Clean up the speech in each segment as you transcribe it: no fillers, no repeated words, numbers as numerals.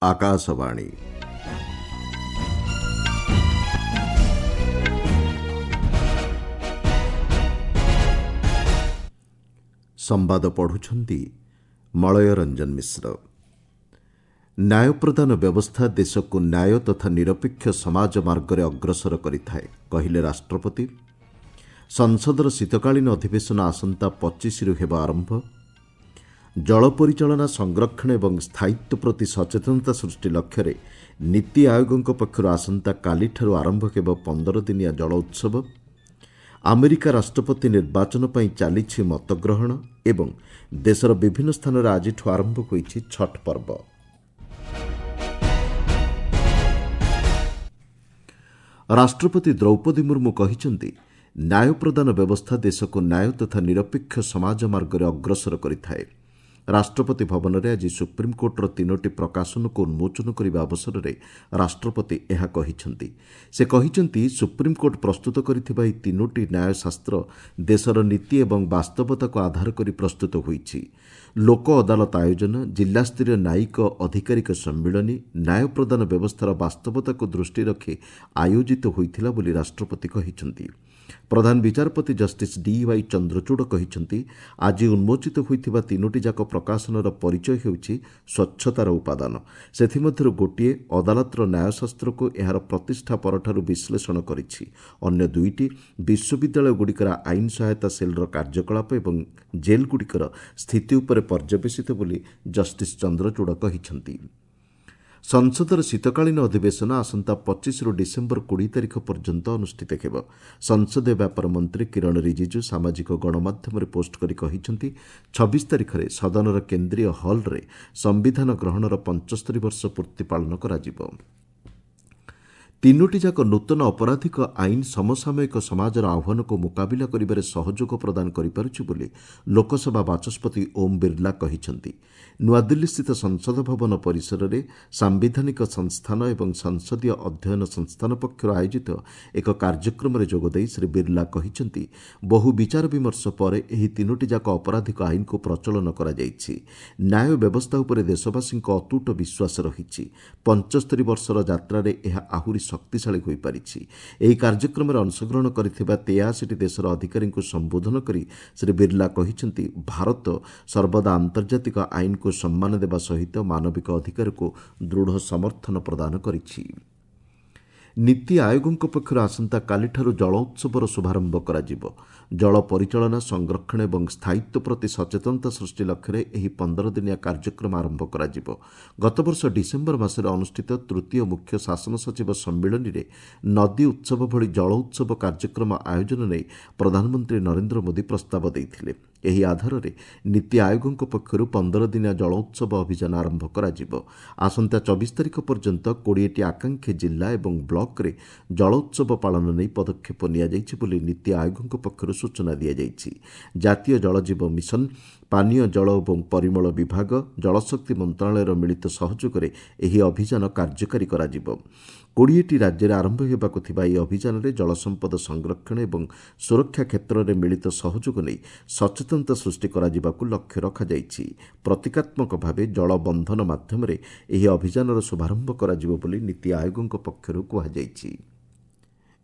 ଆକାଶବାଣୀ। ସମ୍ବାଦ ପଢ଼ୁଛନ୍ତି ମଳୟ ରଞ୍ଜନ ମିଶ୍ର। ନ୍ୟାୟ ପ୍ରଦାନ ବ୍ୟବସ୍ଥା ଦେଶକୁ ନ୍ୟାୟ ତଥା ନିରପେକ୍ଷ ସମାଜ ମାର୍ଗରେ ଅଗ୍ରସର କରିଥାଏ, କହିଲେ ରାଷ୍ଟ୍ରପତି। ସଂସଦର ଶୀତକାଳୀନ ଅଧିବେଶନ ଆସନ୍ତା 25ରୁ ହେବ ଆରମ୍ଭ। ଜଳ ପରିଚାଳନା, ସଂରକ୍ଷଣ ଏବଂ ସ୍ଥାୟିତ୍ୱ ପ୍ରତି ସଚେତନତା ସୃଷ୍ଟି ଲକ୍ଷ୍ୟରେ ନୀତି ଆୟୋଗଙ୍କ ପକ୍ଷରୁ ଆସନ୍ତାକାଲିଠାରୁ ଆରମ୍ଭ ହେବ 15 ଦିନିଆ ଜଳ ଉତ୍ସବ। ଆମେରିକା ରାଷ୍ଟ୍ରପତି ନିର୍ବାଚନ ପାଇଁ ଚାଲିଛି ମତଗ୍ରହଣ ଏବଂ ଦେଶର ବିଭିନ୍ନ ସ୍ଥାନରେ ଆଜିଠୁ ଆରମ୍ଭ ହୋଇଛି ଛଟ୍ ପର୍ବ। ରାଷ୍ଟ୍ରପତି ଦ୍ରୌପଦୀ ମୁର୍ମୁ କହିଛନ୍ତି, ନ୍ୟାୟ ପ୍ରଦାନ ବ୍ୟବସ୍ଥା ଦେଶକୁ ନ୍ୟାୟ ତଥା ନିରପେକ୍ଷ ସମାଜ ମାର୍ଗରେ ଅଗ୍ରସର କରିଥାଏ। ରାଷ୍ଟ୍ରପତି ଭବନରେ ଆଜି ସୁପ୍ରିମକୋର୍ଟର ତିନୋଟି ପ୍ରକାଶନକୁ ଉନ୍ମୋଚନ କରିବା ଅବସରରେ ରାଷ୍ଟ୍ରପତି ଏହା କହିଛନ୍ତି। ସେ କହିଛନ୍ତି, ସୁପ୍ରିମକୋର୍ଟ ପ୍ରସ୍ତୁତ କରିଥିବା ଏହି ତିନୋଟି ନ୍ୟାୟଶାସ୍ତ୍ର ଦେଶର ନୀତି ଏବଂ ବାସ୍ତବତାକୁ ଆଧାର କରି ପ୍ରସ୍ତୁତ ହୋଇଛି। ଲୋକ ଅଦାଲତ ଆୟୋଜନ, ଜିଲ୍ଲାସ୍ତରୀୟ ନ୍ୟାୟିକ ଅଧିକାରୀଙ୍କ ସମ୍ମିଳନୀ ନ୍ୟାୟ ପ୍ରଦାନ ବ୍ୟବସ୍ଥାର ବାସ୍ତବତାକୁ ଦୃଷ୍ଟି ରଖି ଆୟୋଜିତ ହୋଇଥିଲା ବୋଲି ରାଷ୍ଟ୍ରପତି କହିଛନ୍ତି। ପ୍ରଧାନ ବିଚାରପତି ଜଷ୍ଟିସ୍ ଡିୱାଇ ଚନ୍ଦ୍ରଚୂଡ଼ କହିଛନ୍ତି, ଆଜି ଉନ୍ମୋଚିତ ହୋଇଥିବା ତିନୋଟି ଯାକ ପ୍ରକାଶନର ପରିଚୟ ହେଉଛି ସ୍ୱଚ୍ଛତାର ଉପାଦାନ। ସେଥିମଧ୍ୟରୁ ଗୋଟିଏ ଅଦାଲତର ନ୍ୟାୟଶାସ୍ତ୍ରକୁ ଏହାର ପ୍ରତିଷ୍ଠା ପରଠାରୁ ବିଶ୍ଳେଷଣ କରିଛି। ଅନ୍ୟ ଦୁଇଟି ବିଶ୍ୱବିଦ୍ୟାଳୟଗୁଡ଼ିକର ଆଇନ ସହାୟତା ସେଲ୍ର କାର୍ଯ୍ୟକଳାପ ଏବଂ ଜେଲ୍ଗୁଡ଼ିକର ସ୍ଥିତି ଉପରେ ପର୍ଯ୍ୟବେସିତ ବୋଲି ଜଷ୍ଟିସ୍ ଚନ୍ଦ୍ରଚୂଡ଼ କହିଛନ୍ତି। ସଂସଦର ଶୀତକାଳୀନ ଅଧିବେଶନ ଆସନ୍ତା 25ରୁ ଡିସେମ୍ବର 20 ତାରିଖ ପର୍ଯ୍ୟନ୍ତ ଅନୁଷ୍ଠିତ ହେବ। ସଂସଦୀୟ ବ୍ୟାପାର ମନ୍ତ୍ରୀ କିରଣ ରିଜିଜୁ ସାମାଜିକ ଗଣମାଧ୍ୟମରେ ପୋଷ୍ଟ କରି କହିଛନ୍ତି, 26 ତାରିଖରେ ସଦନର କେନ୍ଦ୍ରୀୟ ହଲ୍ରେ ସମ୍ବିଧାନ ଗ୍ରହଣର 75 ବର୍ଷ ପୂର୍ତ୍ତି ପାଳନ କରାଯିବ। ତିନୋଟି ଯାକ ନୂତନ ଅପରାଧିକ ଆଇନ ସମସାମୟିକ ସମାଜର ଆହ୍ୱାନକୁ ମୁକାବିଲା କରିବାରେ ସହଯୋଗ ପ୍ରଦାନ କରିପାରୁଛି ବୋଲି ଲୋକସଭା ବାଚସ୍ପତି ଓମ୍ ବିର୍ଲା କହିଛନ୍ତି। ନୂଆଦିଲ୍ଲୀସ୍ଥିତ ସଂସଦ ଭବନ ପରିସରରେ ସାମ୍ବିଧାନିକ ସଂସ୍ଥାନ ଏବଂ ସଂସଦୀୟ ଅଧ୍ୟୟନ ସଂସ୍ଥାନ ପକ୍ଷରୁ ଆୟୋଜିତ ଏକ କାର୍ଯ୍ୟକ୍ରମରେ ଯୋଗଦେଇ ଶ୍ରୀ ବିର୍ଲା କହିଛନ୍ତି, ବହୁ ବିଚାର ବିମର୍ଶ ପରେ ଏହି ତିନୋଟି ଯାକ ଅପରାଧିକ ଆଇନକୁ ପ୍ରଚଳନ କରାଯାଇଛି। ନ୍ୟାୟ ବ୍ୟବସ୍ଥା ଉପରେ ଦେଶବାସୀଙ୍କ ଅତୁଟ ବିଶ୍ୱାସ ରହିଛି। 75 ବର୍ଷର ଯାତ୍ରାରେ ଏହା ଆହୁରି ଶକ୍ତିଶାଳୀ ହୋଇପାରିଛି। ଏହି କାର୍ଯ୍ୟକ୍ରମରେ ଅଂଶଗ୍ରହଣ କରିଥିବା 83ଟି ଦେଶର ଅଧିକାରୀଙ୍କୁ ସମ୍ବୋଧନ କରି ଶ୍ରୀ ବିର୍ଲା କହିଛନ୍ତି, ଭାରତ ସର୍ବଦା ଆନ୍ତର୍ଜାତିକ ଆଇନକୁ ସମ୍ମାନ ଦେବା ସହିତ ମାନବିକ ଅଧିକାରକୁ ଦୃଢ଼ ସମର୍ଥନ ପ୍ରଦାନ କରିଛି। ନୀତି ଆୟୋଗଙ୍କ ପକ୍ଷରୁ ଆସନ୍ତାକାଲିଠାରୁ ଜଳ ଉତ୍ସବର ଶୁଭାରମ୍ଭ କରାଯିବ। ଜଳ ପରିଚାଳନା, ସଂରକ୍ଷଣ ଏବଂ ସ୍ଥାୟିତ୍ୱ ପ୍ରତି ସଚେତନତା ସୃଷ୍ଟି ଲକ୍ଷ୍ୟରେ ଏହି 15 ଦିନିଆ କାର୍ଯ୍ୟକ୍ରମ ଆରମ୍ଭ କରାଯିବ। ଗତବର୍ଷ ଡିସେମ୍ବର ମାସରେ ଅନୁଷ୍ଠିତ ତୃତୀୟ ମୁଖ୍ୟ ଶାସନ ସଚିବ ସମ୍ମିଳନୀରେ ନଦୀ ଉତ୍ସବ ଭଳି ଜଳ ଉତ୍ସବ କାର୍ଯ୍ୟକ୍ରମ ଆୟୋଜନ ନେଇ ପ୍ରଧାନମନ୍ତ୍ରୀ ନରେନ୍ଦ୍ର ମୋଦି ପ୍ରସ୍ତାବ ଦେଇଥିଲେ। ଏହି ଆଧାରରେ ନୀତି ଆୟୋଗଙ୍କ ପକ୍ଷରୁ 15 ଦିନିଆ ଜଳ ଉତ୍ସବ ଅଭିଯାନ ଆରମ୍ଭ କରାଯିବ। ଆସନ୍ତା 24 ତାରିଖ ପର୍ଯ୍ୟନ୍ତ 20ଟି ଆକାଂକ୍ଷୀ ଜିଲ୍ଲା ଏବଂ ବ୍ଲକରେ ଜଳ ଉତ୍ସବ ପାଳନ ନେଇ ପଦକ୍ଷେପ ନିଆଯାଇଛି ବୋଲି ନୀତି ଆୟୋଗଙ୍କ ପକ୍ଷରୁ ସୂଚନା ଦିଆଯାଇଛି। ଜାତୀୟ ଜଳଜୀବ ମିଶନ, ପାନୀୟ ଜଳ ଏବଂ ପରିମଳ ବିଭାଗ, ଜଳଶକ୍ତି ମନ୍ତ୍ରଣାଳୟର ମିଳିତ ସହଯୋଗରେ ଏହି ଅଭିଯାନ କାର୍ଯ୍ୟକାରୀ କରାଯିବ। 20ଟି ରାଜ୍ୟରେ ଆରମ୍ଭ ହେବାକୁ ଥିବା ଏହି ଅଭିଯାନରେ ଜଳସମ୍ପଦ ସଂରକ୍ଷଣ ଏବଂ ସୁରକ୍ଷା କ୍ଷେତ୍ରରେ ମିଳିତ ସହଯୋଗ ନେଇ ସଚେତନତା ସୃଷ୍ଟି କରାଯିବାକୁ ଲକ୍ଷ୍ୟ ରଖାଯାଇଛି। ପ୍ରତୀକାତ୍ମକ ଭାବେ ଜଳ ବନ୍ଧନ ମାଧ୍ୟମରେ ଏହି ଅଭିଯାନର ଶୁଭାରମ୍ଭ କରାଯିବ ବୋଲି ନୀତି ଆୟୋଗଙ୍କ ପକ୍ଷରୁ କୁହାଯାଇଛି।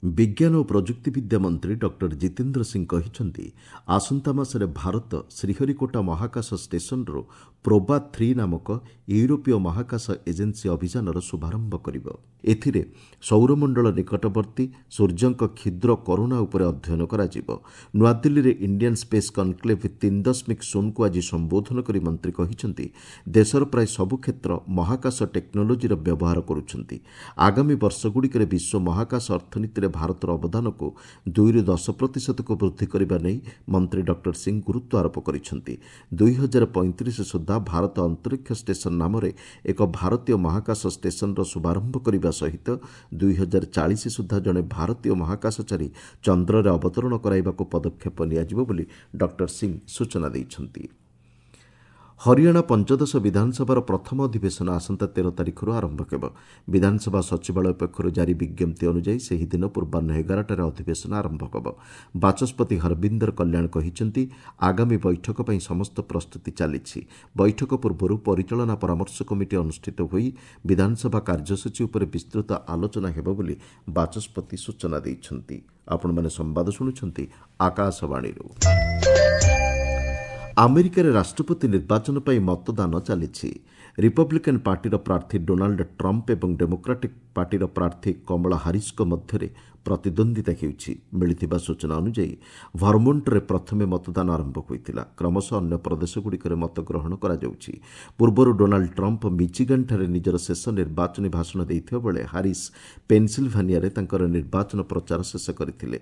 ବିଜ୍ଞାନ ଓ ପ୍ରଯୁକ୍ତିବିଦ୍ୟା ମନ୍ତ୍ରୀ ଡକ୍ଟର ଜିତେନ୍ଦ୍ର ସିଂ କହିଛନ୍ତି, ଆସନ୍ତା ମାସରେ ଭାରତ ଶ୍ରୀହରିକୋଟା ମହାକାଶ ଷ୍ଟେସନରୁ ପ୍ରୋବା 3 ନାମକ ୟୁରୋପୀୟ ମହାକାଶ ଏଜେନ୍ସି ଅଭିଯାନର ଶୁଭାରମ୍ଭ କରିବ। ଏଥିରେ ସୌରମଣ୍ଡଳ ନିକଟବର୍ତ୍ତୀ ସୂର୍ଯ୍ୟଙ୍କ କ୍ଷୁଦ୍ର କରୋନା ଉପରେ ଅଧ୍ୟୟନ କରାଯିବ। ନୂଆଦିଲ୍ଲୀରେ ଇଣ୍ଡିଆନ୍ ସ୍ପେସ୍ କନକ୍ଲେଭ୍ 3.0କୁ ଆଜି ସମ୍ବୋଧନ କରି ମନ୍ତ୍ରୀ କହିଛନ୍ତି, ଦେଶର ପ୍ରାୟ ସବୁ କ୍ଷେତ୍ର ମହାକାଶ ଟେକ୍ନୋଲୋଜିର ବ୍ୟବହାର କରୁଛନ୍ତି। ଆଗାମୀ ବର୍ଷଗୁଡ଼ିକରେ ବିଶ୍ୱ ମହାକାଶ ଅର୍ଥନୀତିରେ ଭାରତର ଅବଦାନକୁ 2ରୁ 10 ପ୍ରତିଶତକୁ ବୃଦ୍ଧି କରିବା ନେଇ ମନ୍ତ୍ରୀ ଡକ୍ଟର ସିଂ ଗୁରୁତ୍ୱ ଆରୋପ କରିଛନ୍ତି। 2035 ସୁଦ୍ଧା ଭାରତ ଅନ୍ତରୀକ୍ଷ ଷ୍ଟେସନ ନାମରେ ଏକ ଭାରତୀୟ ମହାକାଶ ଷ୍ଟେସନର ଶୁଭାରମ୍ଭ କରିବା ସହିତ 2040 ସୁଦ୍ଧା ଜଣେ ଭାରତୀୟ ମହାକାଶଚାରୀ ଚନ୍ଦ୍ରରେ ଅବତରଣ କରାଇବାକୁ ପଦକ୍ଷେପ ନିଆଯିବ ବୋଲି ଡକ୍ଟର ସିଂ ସୂଚନା ଦେଇଛନ୍ତି। ହରିୟାଣା ପଞ୍ଚଦଶ ବିଧାନସଭାର ପ୍ରଥମ ଅଧିବେଶନ ଆସନ୍ତା 13 ତାରିଖରୁ ଆରମ୍ଭ ହେବ। ବିଧାନସଭା ସଚିବାଳୟ ପକ୍ଷରୁ ଜାରି ବିଜ୍ଞପ୍ତି ଅନୁଯାୟୀ ସେହିଦିନ ପୂର୍ବାହ୍ନ 11ଟାରେ ଅଧିବେଶନ ଆରମ୍ଭ ହେବ। ବାଚସ୍ପତି ହରବିନ୍ଦର କଲ୍ୟାଣ କହିଛନ୍ତି, ଆଗାମୀ ବୈଠକ ପାଇଁ ସମସ୍ତ ପ୍ରସ୍ତୁତି ଚାଲିଛି। ବୈଠକ ପୂର୍ବରୁ ପରିଚାଳନା ପରାମର୍ଶ କମିଟି ଅନୁଷ୍ଠିତ ହୋଇ ବିଧାନସଭା କାର୍ଯ୍ୟସୂଚୀ ଉପରେ ବିସ୍ତୃତ ଆଲୋଚନା ହେବ ବୋଲି ବାଚସ୍ପତି ସୂଚନା ଦେଇଛନ୍ତି। ଆପଣମାନେ ସମ୍ବାଦ ଶୁଣୁଛନ୍ତି ଆକାଶବାଣୀରୁ। ଆମେରିକାରେ ରାଷ୍ଟ୍ରପତି ନିର୍ବାଚନ ପାଇଁ ମତଦାନ ଚାଲିଛି। ରିପବ୍ଲିକାନ୍ ପାର୍ଟିର ପ୍ରାର୍ଥୀ ଡୋନାଲ୍ଡ ଟ୍ରମ୍ପ ଏବଂ ଡେମୋକ୍ରାଟିକ୍ ପାର୍ଟିର ପ୍ରାର୍ଥୀ କମଳା ହାରିସ୍ଙ୍କ ମଧ୍ୟରେ ପ୍ରତିଦ୍ୱନ୍ଦ୍ୱିତା ହେଉଛି। ମିଳିଥିବା ସୂଚନା ଅନୁଯାୟୀ ଭର୍ମୋଣ୍ଟରେ ପ୍ରଥମେ ମତଦାନ ଆରମ୍ଭ ହୋଇଥିଲା। କ୍ରମଶଃ ଅନ୍ୟ ପ୍ରଦେଶଗୁଡ଼ିକରେ ମତଗ୍ରହଣ କରାଯାଉଛି। ପୂର୍ବରୁ ଡୋନାଲ୍ଡ ଟ୍ରମ୍ପ ମିଚିଗାନ୍ଠାରେ ନିଜର ଶେଷ ନିର୍ବାଚନୀ ଭାଷଣ ଦେଇଥିବା ବେଳେ ହାରିସ୍ ପେନ୍ସିଲଭାନିଆରେ ତାଙ୍କର ନିର୍ବାଚନ ପ୍ରଚାର ଶେଷ କରିଥିଲେ।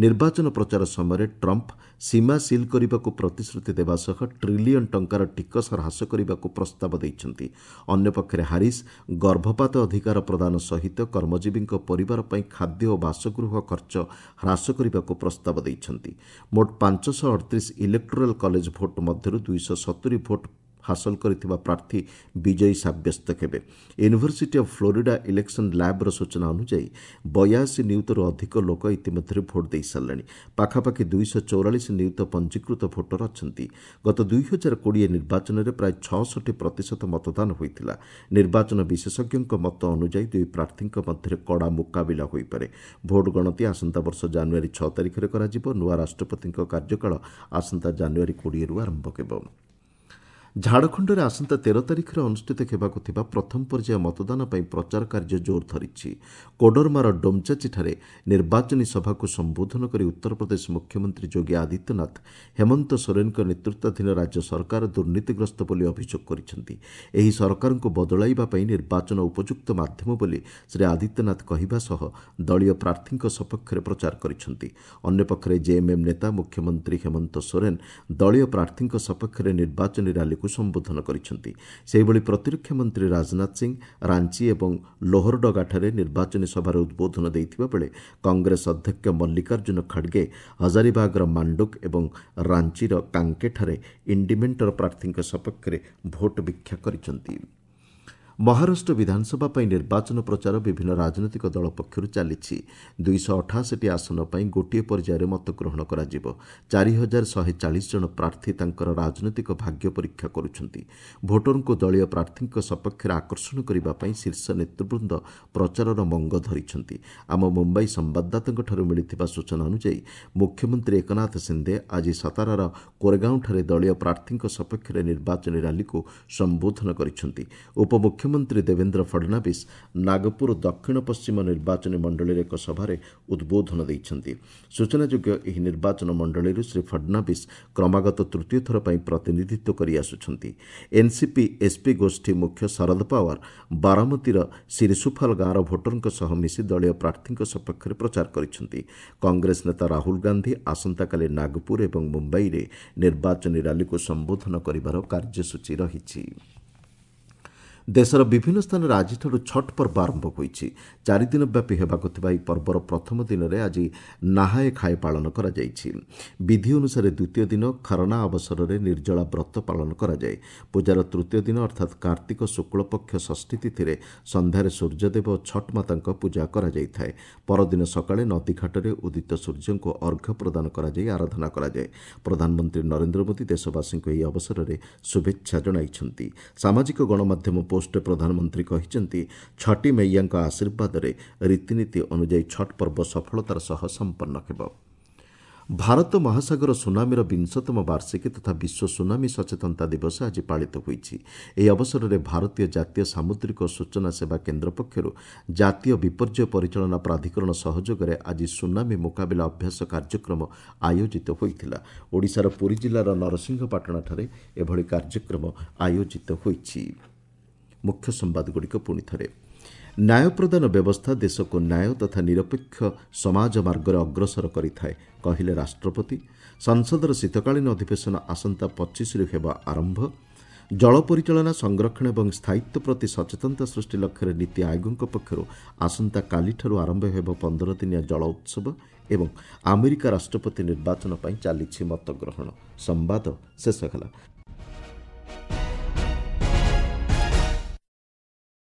ନିର୍ବାଚନ ପ୍ରଚାର ସମୟରେ ଟ୍ରମ୍ପ ସୀମା ସିଲ୍ କରିବାକୁ ପ୍ରତିଶ୍ରୁତି ଦେବା ସହ ଟ୍ରିଲିୟନ୍ ଟଙ୍କାର ଟିକସ ହ୍ରାସ କରିବାକୁ ପ୍ରସ୍ତାବ ଦେଇଛନ୍ତି। ଅନ୍ୟପକ୍ଷରେ ହାରିସ୍ ଗର୍ଭପାତ ଅଧିକାର ପ୍ରଦାନ ସହିତ କର୍ମଜୀବୀଙ୍କ ପରିବାର ପାଇଁ ଖାଦ୍ୟ ଓ ବାସଗୃହ ଖର୍ଚ୍ଚ ହ୍ରାସ କରିବାକୁ ପ୍ରସ୍ତାବ ଦେଇଛନ୍ତି। ମୋଟ 538 ଇଲେକ୍ଟୋରାଲ୍ କଲେଜ ଭୋଟ୍ ମଧ୍ୟରୁ 270 ଭୋଟ୍ ହାସଲ କରିଥିବା ପ୍ରାର୍ଥୀ ବିଜୟୀ ସାବ୍ୟସ୍ତ ହେବେ। ୟୁନିଭର୍ସିଟି ଅଫ୍ ଫ୍ଲୋରିଡା ଇଲେକ୍ସନ୍ ଲ୍ୟାବ୍ର ସୂଚନା ଅନୁଯାୟୀ 82 ନିୟୁତରୁ ଅଧିକ ଲୋକ ଇତିମଧ୍ୟରେ ଭୋଟ୍ ଦେଇସାରିଲେଣି। ପାଖାପାଖି 244 ନିୟୁତ ପଞ୍ଜୀକୃତ ଭୋଟର ଅଛନ୍ତି। ଗତ 2020 ନିର୍ବାଚନରେ ପ୍ରାୟ 66% ମତଦାନ ହୋଇଥିଲା। ନିର୍ବାଚନ ବିଶେଷଜ୍ଞଙ୍କ ମତ ଅନୁଯାୟୀ ଦୁଇ ପ୍ରାର୍ଥୀଙ୍କ ମଧ୍ୟରେ କଡ଼ା ମୁକାବିଲା ହୋଇପାରେ। ଭୋଟ୍ ଗଣତି ଆସନ୍ତା ବର୍ଷ ଜାନୁଆରୀ 6 ତାରିଖରେ କରାଯିବ। ନୂଆ ରାଷ୍ଟ୍ରପତିଙ୍କ କାର୍ଯ୍ୟକାଳ ଆସନ୍ତା ଜାନୁଆରୀ 20ରୁ ଆରମ୍ଭ ହେବ। ଝାଡ଼ଖଣ୍ଡରେ ଆସନ୍ତା 13 ତାରିଖରେ ଅନୁଷ୍ଠିତ ହେବାକୁ ଥିବା ପ୍ରଥମ ପର୍ଯ୍ୟାୟ ମତଦାନ ପାଇଁ ପ୍ରଚାର କାର୍ଯ୍ୟ ଜୋର ଧରିଛି। କୋଡରମାର ଡୋମଚାଚିଠାରେ ନିର୍ବାଚନୀ ସଭାକୁ ସମ୍ବୋଧନ କରି ଉତ୍ତରପ୍ରଦେଶ ମୁଖ୍ୟମନ୍ତ୍ରୀ ଯୋଗୀ ଆଦିତ୍ୟନାଥ ହେମନ୍ତ ସୋରେନଙ୍କ ନେତୃତ୍ୱାଧୀନ ରାଜ୍ୟ ସରକାର ଦୁର୍ନୀତିଗ୍ରସ୍ତ ବୋଲି ଅଭିଯୋଗ କରିଛନ୍ତି। ଏହି ସରକାରଙ୍କୁ ବଦଳାଇବା ପାଇଁ ନିର୍ବାଚନ ଉପଯୁକ୍ତ ମାଧ୍ୟମ ବୋଲି ଶ୍ରୀ ଆଦିତ୍ୟନାଥ କହିବା ସହ ଦଳୀୟ ପ୍ରାର୍ଥୀଙ୍କ ସପକ୍ଷରେ ପ୍ରଚାର କରିଛନ୍ତି। ଅନ୍ୟପକ୍ଷରେ ଜେଏମ୍ଏମ୍ ନେତା ମୁଖ୍ୟମନ୍ତ୍ରୀ ହେମନ୍ତ ସୋରେନ ଦଳୀୟ ପ୍ରାର୍ଥୀଙ୍କ ସପକ୍ଷରେ ନିର୍ବାଚନୀ ରାଲିକୁ ସମ୍ବୋଧନ କରିଛନ୍ତି। ସେହିଭଳି ପ୍ରତିରକ୍ଷା ମନ୍ତ୍ରୀ ରାଜନାଥ ସିଂ ରାଞ୍ଚି ଏବଂ ଲୋହରଡଗାଠାରେ ନିର୍ବାଚନୀ ସଭାରେ ଉଦ୍ବୋଧନ ଦେଇଥିବା ବେଳେ କଂଗ୍ରେସ ଅଧ୍ୟକ୍ଷ ମଲ୍ଲିକାର୍ଜୁନ ଖଡ଼ଗେ ହଜାରିବାଗର ମାଣ୍ଡୁକ ଏବଂ ରାଞ୍ଚିର କାଙ୍କେଠାରେ ଇଣ୍ଡିମେଣ୍ଟର ପ୍ରାର୍ଥୀଙ୍କ ସପକ୍ଷରେ ଭୋଟ୍ ଭିକ୍ଷା କରିଛନ୍ତି। ମହାରାଷ୍ଟ୍ର ବିଧାନସଭା ପାଇଁ ନିର୍ବାଚନ ପ୍ରଚାର ବିଭିନ୍ନ ରାଜନୈତିକ ଦଳ ପକ୍ଷରୁ ଚାଲିଛି। 288ଟି ଆସନ ପାଇଁ ଗୋଟିଏ ପର୍ଯ୍ୟାୟରେ ମତଗ୍ରହଣ କରାଯିବ। 4140 ଜଣ ପ୍ରାର୍ଥୀ ତାଙ୍କର ରାଜନୈତିକ ଭାଗ୍ୟ ପରୀକ୍ଷା କରୁଛନ୍ତି। ଭୋଟରଙ୍କୁ ଦଳୀୟ ପ୍ରାର୍ଥୀଙ୍କ ସପକ୍ଷରେ ଆକର୍ଷଣ କରିବା ପାଇଁ ଶୀର୍ଷ ନେତୃବୃନ୍ଦ ପ୍ରଚାରର ମଙ୍ଗ ଧରିଛନ୍ତି। ଆମ ମୁମ୍ବାଇ ସମ୍ବାଦଦାତାଙ୍କଠାରୁ ମିଳିଥିବା ସୂଚନା ଅନୁଯାୟୀ ମୁଖ୍ୟମନ୍ତ୍ରୀ ଏକନାଥ ସିନ୍ଦେ ଆଜି ସତାରାର କୋରେଗାଓଁଠାରେ ଦଳୀୟ ପ୍ରାର୍ଥୀଙ୍କ ସପକ୍ଷରେ ନିର୍ବାଚନୀ ରାଲିକୁ ସମ୍ବୋଧନ କରିଛନ୍ତି। ଉପମୁଖ୍ୟମନ୍ତ୍ରୀ ଦେବେନ୍ଦ୍ର ଫଡନାବିସ୍ ନାଗପୁର ଦକ୍ଷିଣ ପଶ୍ଚିମ ନିର୍ବାଚନୀ ମଣ୍ଡଳୀରେ ଏକ ସଭାରେ ଉଦ୍ବୋଧନ ଦେଇଛନ୍ତି। ସୂଚନାଯୋଗ୍ୟ, ଏହି ନିର୍ବାଚନ ମଣ୍ଡଳୀରୁ ଶ୍ରୀ ଫଡନାବିସ୍ କ୍ରମାଗତ ତୃତୀୟ ଥର ପାଇଁ ପ୍ରତିନିଧିତ୍ୱ କରିଆସୁଛନ୍ତି। ଏନ୍ସିପି ଏସ୍ପି ଗୋଷ୍ଠୀ ମୁଖ୍ୟ ଶରଦ ପାୱାର ବାରାମତୀର ସିରିସୁଫାଲ ଗାଁର ଭୋଟରଙ୍କ ସହ ମିଶି ଦଳୀୟ ପ୍ରାର୍ଥୀଙ୍କ ସପକ୍ଷରେ ପ୍ରଚାର କରିଛନ୍ତି। କଂଗ୍ରେସ ନେତା ରାହୁଲ ଗାନ୍ଧୀ ଆସନ୍ତାକାଲି ନାଗପୁର ଏବଂ ମୁମ୍ବାଇରେ ନିର୍ବାଚନୀ ରାଲିକୁ ସମ୍ବୋଧନ କରିବାର କାର୍ଯ୍ୟସୂଚୀ ରହିଛି। ଦେଶର ବିଭିନ୍ନ ସ୍ଥାନରେ ଆଜିଠାରୁ ଛଟ୍ ପର୍ବ ଆରମ୍ଭ ହୋଇଛି। 4 ଦିନ ବ୍ୟାପୀ ହେବାକୁ ଥିବା ଏହି ପର୍ବର ପ୍ରଥମ ଦିନରେ ଆଜି ନାହାଏ ଖାଏ ପାଳନ କରାଯାଇଛି। ବିଧି ଅନୁସାରେ ଦ୍ୱିତୀୟ ଦିନ ଖରନା ଅବସରରେ ନିର୍ଜଳା ବ୍ରତ ପାଳନ କରାଯାଏ। ପୂଜାର ତୃତୀୟ ଦିନ ଅର୍ଥାତ୍ କାର୍ତ୍ତିକ ଶୁକ୍ଳପକ୍ଷ ଷଷ୍ଠୀ ତିଥିରେ ସନ୍ଧ୍ୟାରେ ସୂର୍ଯ୍ୟଦେବ ଓ ଛଟ୍ ମାତାଙ୍କ ପୂଜା କରାଯାଇଥାଏ। ପରଦିନ ସକାଳେ ନଦୀଘାଟରେ ଉଦିତ ସୂର୍ଯ୍ୟଙ୍କୁ ଅର୍ଘ୍ୟ ପ୍ରଦାନ କରାଯାଇ ଆରାଧନା କରାଯାଏ। ପ୍ରଧାନମନ୍ତ୍ରୀ ନରେନ୍ଦ୍ର ମୋଦି ଦେଶବାସୀଙ୍କୁ ଏହି ଅବସରରେ ଶୁଭେଚ୍ଛା ଜଣାଇଛନ୍ତି। ସାମାଜିକ ଗଣମାଧ୍ୟମ ପୋଷ୍ଟରେ ପ୍ରଧାନମନ୍ତ୍ରୀ କହିଛନ୍ତି, ଛଟି ମୈୟାଙ୍କ ଆଶୀର୍ବାଦରେ ରୀତିନୀତି ଅନୁଯାୟୀ ଛଟ୍ ପର୍ବ ସଫଳତାର ସହ ସମ୍ପନ୍ନ ହେବ। ଭାରତ ମହାସାଗର ସୁନାମିର 20ତମ ବାର୍ଷିକୀ ତଥା ବିଶ୍ୱ ସୁନାମି ସଚେତନତା ଦିବସ ଆଜି ପାଳିତ ହୋଇଛି। ଏହି ଅବସରରେ ଭାରତୀୟ ଜାତୀୟ ସାମୁଦ୍ରିକ ସୂଚନା ସେବା କେନ୍ଦ୍ର ପକ୍ଷରୁ ଜାତୀୟ ବିପର୍ଯ୍ୟୟ ପରିଚାଳନା ପ୍ରାଧିକରଣ ସହଯୋଗରେ ଆଜି ସୁନାମି ମୁକାବିଲା ଅଭ୍ୟାସ କାର୍ଯ୍ୟକ୍ରମ ଆୟୋଜିତ ହୋଇଥିଲା। ଓଡ଼ିଶାର ପୁରୀ ଜିଲ୍ଲାର ନରସିଂହପାଟଣାଠାରେ ଏଭଳି କାର୍ଯ୍ୟକ୍ରମ ଆୟୋଜିତ ହୋଇଛି। ମୁଖ୍ୟ ସମ୍ବାଦଗୁଡ଼ିକ ପୁଣି ଥରେ। ନ୍ୟାୟ ପ୍ରଦାନ ବ୍ୟବସ୍ଥା ଦେଶକୁ ନ୍ୟାୟ ତଥା ନିରପେକ୍ଷ ସମାଜ ମାର୍ଗରେ ଅଗ୍ରସର କରିଥାଏ, କହିଲେ ରାଷ୍ଟ୍ରପତି। ସଂସଦର ଶୀତକାଳୀନ ଅଧିବେଶନ ଆସନ୍ତା 25ରୁ ହେବ ଆରମ୍ଭ। ଜଳ ପରିଚାଳନା, ସଂରକ୍ଷଣ ଏବଂ ସ୍ଥାୟିତ୍ୱ ପ୍ରତି ସଚେତନତା ସୃଷ୍ଟି ଲକ୍ଷ୍ୟରେ ନୀତି ଆୟୋଗଙ୍କ ପକ୍ଷରୁ ଆସନ୍ତାକାଲିଠାରୁ ଆରମ୍ଭ ହେବ 15 ଦିନିଆ ଜଳ ଉତ୍ସବ। ଏବଂ ଆମେରିକା ରାଷ୍ଟ୍ରପତି ନିର୍ବାଚନ ପାଇଁ ଚାଲିଛି ମତଗ୍ରହଣ। ସମ୍ବାଦ ଶେଷ ହେଲା।